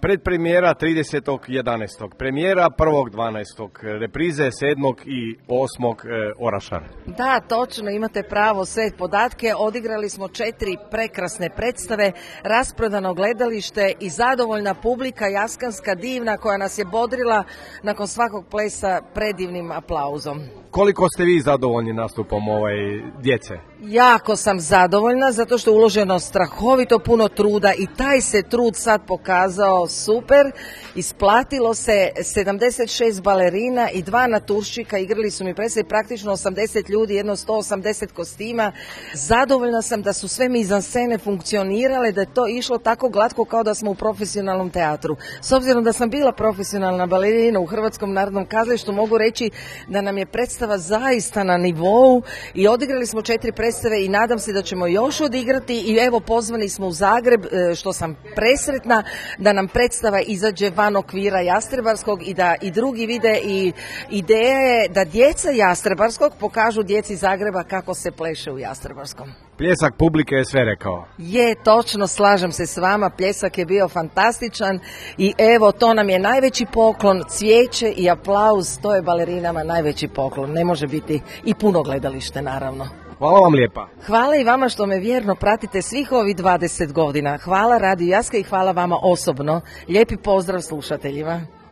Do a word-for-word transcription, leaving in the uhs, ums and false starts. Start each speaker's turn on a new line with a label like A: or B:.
A: Predpremijera tridesetog jedanaestog premijera prvog dvanaestog reprize sedmog i osmog Orašar.
B: Da, točno, imate pravo, sve podatke. Odigrali smo četiri prekrasne predstave, rasprodano gledalište i zadovoljna publika, jaskanska, divna, koja nas je bodrila nakon svakog plesa predivnim aplauzom.
A: Koliko ste vi zadovoljni nastupom ovaj djece?
B: Jako sam zadovoljna zato što je uloženo strahovito puno truda i taj se trud sad pokazao super. Isplatilo se sedamdeset šest balerina i dva naturščika, igrali su mi predstave, praktično osamdeset ljudi, jedno sto osamdeset kostima. Zadovoljna sam da su sve mizanscene funkcionirale, da je to išlo tako glatko kao da smo u profesionalnom teatru. S obzirom da sam bila profesionalna balerina u Hrvatskom narodnom kazalištu, mogu reći da nam je predstava zaista na nivou i odigrali smo četiri predstave i nadam se da ćemo još odigrati i evo pozvani smo u Zagreb, što sam presretna da nam predstava izađe van okvira Jastrebarskog i da i drugi vide i ideja je da djeca Jastrebarskog pokažu djeci Zagreba kako se pleše u Jastrebarskom.
A: Pljesak publike je sve rekao.
B: Je, točno, slažem se s vama, pljesak je bio fantastičan i evo to nam je najveći poklon, cvijeće i aplauz, to je balerinama najveći poklon, ne može biti i puno gledalište naravno.
A: Hvala vam lijepa.
B: Hvala i vama što me vjerno pratite svih ovih dvadeset godina. Hvala Radio Jaska i hvala vama osobno. Lijepi pozdrav slušateljima.